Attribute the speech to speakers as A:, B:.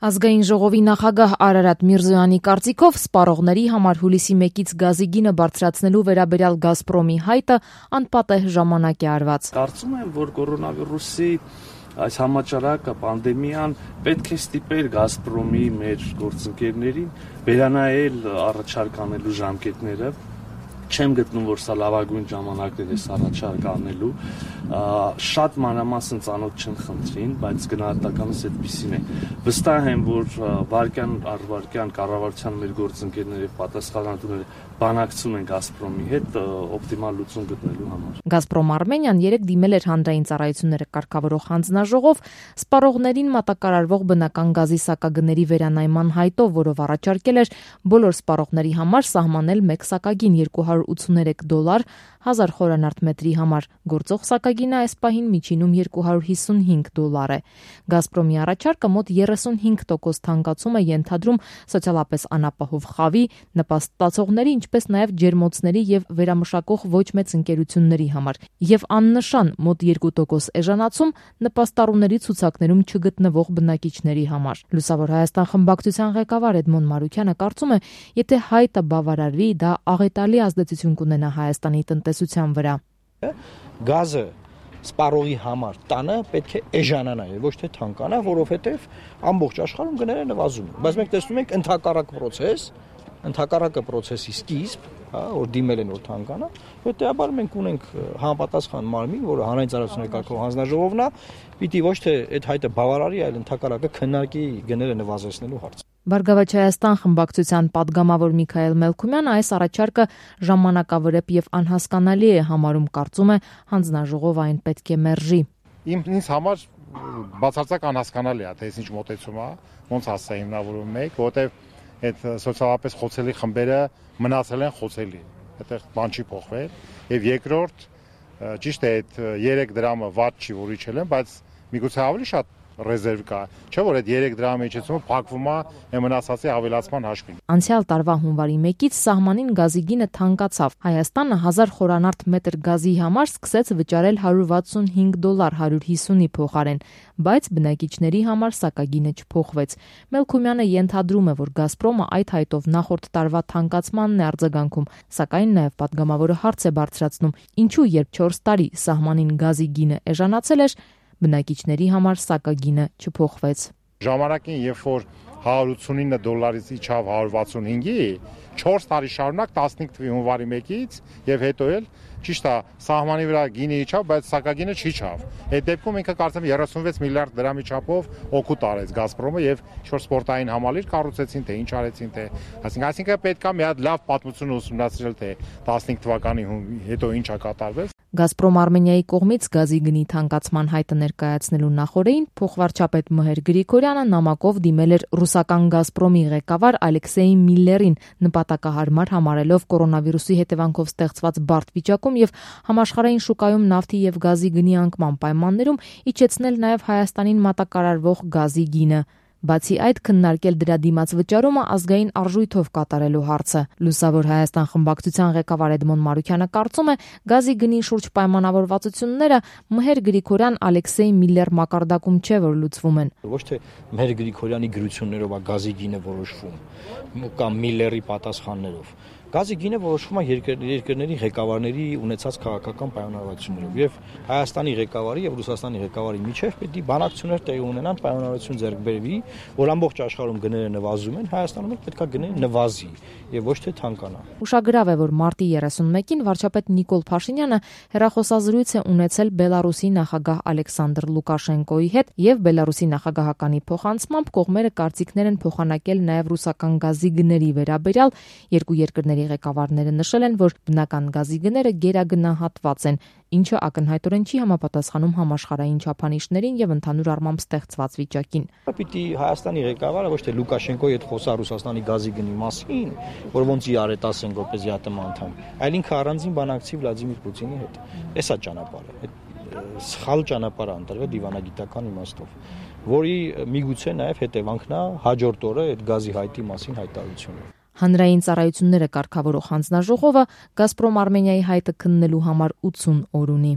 A: Ազգային ժողովի նախագահ Արարատ Միրզոյանի կարծիքով սպառողների համար հուլիսի 1-ից գազի գինը բարձրացնելու վերաբերյալ Գազպրոմի հայտը անպատեհ ժամանակ է արված։
B: Կարծում եմ, որ կորոնավիրուսի այս համաճարակը, պանդեմիան պետք է ստիպեր Գազպրոմի մեր գործընկերներին վերանայել առաջարկ անելու ժամկետները։ Չեմ գտնում, որ սա լավագույն ժամանակն է առաջարկ անելու, շատ մանրամասն ծանոթ չեմ խնդրին, բայց գնահատականս այդպիսին է։ Վստահ եմ, որ վարկյան առ վարկյան կառավարության մեր գործընկերները եւ պատասխանատուները բանակցում են Գազպրոմի հետ օպտիմալ լուծում գտնելու համար։
A: Գազպրոմ Արմենիան երեք դիմել էր հանրային ծառայությունները կարգավորող հանձնաժողով սպառողներին մատակարարվող բնական գազի սակագների վերանայման հայտով, որով առաջարկել էր բոլոր սպառողների համար սահմանել մեկ սակագին $283 1000 խորանարդ մետրի համար, գործող սակագինը այս պահին միջինում $255 է։ Գազպրոմի առաջարկը մոտ 35% թանկացում է ենթադրում սոցիալապես անապահով խավի, նպաստացողների, ինչպես նաև ջերմոցների եւ վերամշակող ոչ մեծ ընկերությունների համար, եւ աննշան մոտ 2% էժանացում նպաստառուների ցուցակներում չգտնվող բնակիչների համար։ Լուսավոր Հայաստան խմբակցության ղեկավար Էդմոն Մարուքյանը կարծում է, եթե հայտը բավարարվի, դա աղետալի ազդեցություն կունենա Հայաստանի տնտեսության վրա։
C: Գազը սպառողի համար տանը պետք է էժանանա եւ ոչ թե թանկանա, որովհետեւ ամբողջ աշխարհում գները նվազում են։ Բայց մենք տեսնում ենք ընդհակառակը process-ի սկիզբ, որ դիմել են որ թանկանա, հետեւաբար մենք ունենք համապատասխան մարմին, որը հանրային ծառայությունների կարգավորող հանձնաժողովն է, պիտի ոչ թե այդ հայտը բավարարի, այլ ընդհակառակը քննարկի գները նվազեցնելու հարցը։
A: Բարգավաճ Հայաստան խմբակցության падգամավոր Միքայել Մելքումյանը այս առաջարկը ժամանակավրեպ եւ անհասկանալի է համարում, կարծում է հանձնաժողովը այն պետք է մերժի։
D: Ինձ համար բացարձակ անհասկանալի է, թե ինչ մոտեցում է, ոնց հասա հիմնավորում մեկ, որովհետեւ այդ սոցիալապես խոցելի խմբերը մնացել են խոցելի, այդտեղ բան չի փոխվել, եւ երկրորդ ճիշտ է այդ 3 դրամը վատ չի որ իջել են, բայց միգուցե ավելի շատ ռեզերվ կա, չէ՞ որ այդ 3 դրամի իջեցումը փակվում է այն մնացածի ավելացման հաշվին։
A: Անցյալ տարվա հունվարի 1-ից սահմանին գազի գինը թանկացավ։ Հայաստանը 1000 խորանարդ մետր գազի համար սկսեց վճարել $165 150-ի փոխարեն, բայց բնակիչների համար սակագինը չփոխվեց։ Մելքումյանը ենթադրում է, որ Գազպրոմը այդ հայտով նախորդ տարվա թանկացմանն է արձագանքում, սակայն նաև падգամավորը հարց է բարձրացնում. ինչու երբ 4 տարի սահմանին գազի գինը էժանացել էր, բնակիչների համար սակագինը չփոխվեց։
D: Ժամանակին, երբ որ $189-ից իջավ 165-ի, 4 տարի շարունակ 15 թվականի հունվարի 1-ից եւ հետո էլ ճիշտ է, սահմանի վրա գինը իջավ, բայց սակագինը չիջավ։ Այդ դեպքում ինքը կարծեմ 36 միլիարդ դրամի չափով օգուտ արեց Գազպրոմը եւ ինչ-որ սպորտային համալիր կառուցեցին, թե ինչ արեցին, թե այսինքն պետք է մի հատ լավ պատմություն ուսումնասիրել, թե 15 թվականի հետո ինչ է կատարվել։
A: Գազպրոմ Արմենիայի կողմից գազի գնի թանկացման հայտը ներկայացնելու նախօրեին փոխվարչապետ Մհեր Գրիգորյանը նամակով դիմել էր ռուսական Գազպրոմի ղեկավար Ալեքսեյ Միլլերին, նպատակահարմար համարելով կորոնավիրուսի հետևանքով ստեղծված բարդ վիճակում եւ համաշխարհային շուկայում նավթի եւ գազի գնի անկման պայմաններում իջեցնել նաեւ Հայաստանին մատակարարվող գազի գինը։ Բացի այդ, քննարկել դրա դիմաց վճարումը ազգային արժույթով կատարելու հարցը։ Լուսավոր Հայաստան խմբակցության ղեկավար Էդմոն Մարուքյանը կարծում է, գազի գնի շուրջ պայմանավորվածությունները Մհեր Գրիգորյան Ալեքսեյ Միլլեր մակարդակում չէ, որ լուծվում են։
C: Ոչ թե Մհեր Գրիգորյանի գրություններով է գազի գինը որոշվում, կամ Միլլերի պատասխաններով։ Գազի գինը որոշվում է երկրների ղեկավարների ունեցած քաղաքական պայմանավորվածություններով եւ Հայաստանի ղեկավարի եւ Ռուսաստանի ղեկավարի միջեւ պետք է բանակցություններ տեղի ունենան, պայմանավորվածություն ձեռք բերվի, որ ամբողջ աշխարհում գները նվազում են, Հայաստանում էլ պետք է գները նվազի եւ ոչ թե թանկանա։
A: Ուշագրավ է, որ մարտի 31-ին վարչապետ Նիկոլ Փաշինյանը հեռախոսազրույց է ունեցել Բելարուսի նախագահ Ալեքսանդր Լուկաշենկոյի հետ եւ Բելարուսի նախագահականի փոխանցմամբ կողմերը կարծիքներ են փոխանակել նաեւ ռուսական գազի գների վերաբերյալ, երկու երկրների ղեկավարները նշել են, որ բնական գազի գները գերագնահատված են, ինչը ակնհայտորեն չի համապատասխանում համաշխարհային չափանիշներին եւ ընդհանուր առմամբ ստեղծված վիճակին։
C: Պիտի Հայաստանի ղեկավարը ոչ թե Լուկաշենկոյի հետ խոսա Ռուսաստանի գազի գնի մասին, որ ոնց իրար է տասեն որպես ԵԱՏՄ անդամ, այլ ինքը առանձին բանակցի Վլադիմիր Պուտինի հետ։ Էսա ճանապարհը, այդ սխալ ճանապարհը ընտրվել դիվանագիտական իմաստով, որի միգուցե նաեւ հետևանքն է հաջորդ օրը այդ գազի հայտի մասին հայտարարությունը։
A: Հանրային ծառայությունները կարգավորող հանձնաժողովը Գազպրոմ Արմենիայի հայտը քննելու համար 80 օր ունի։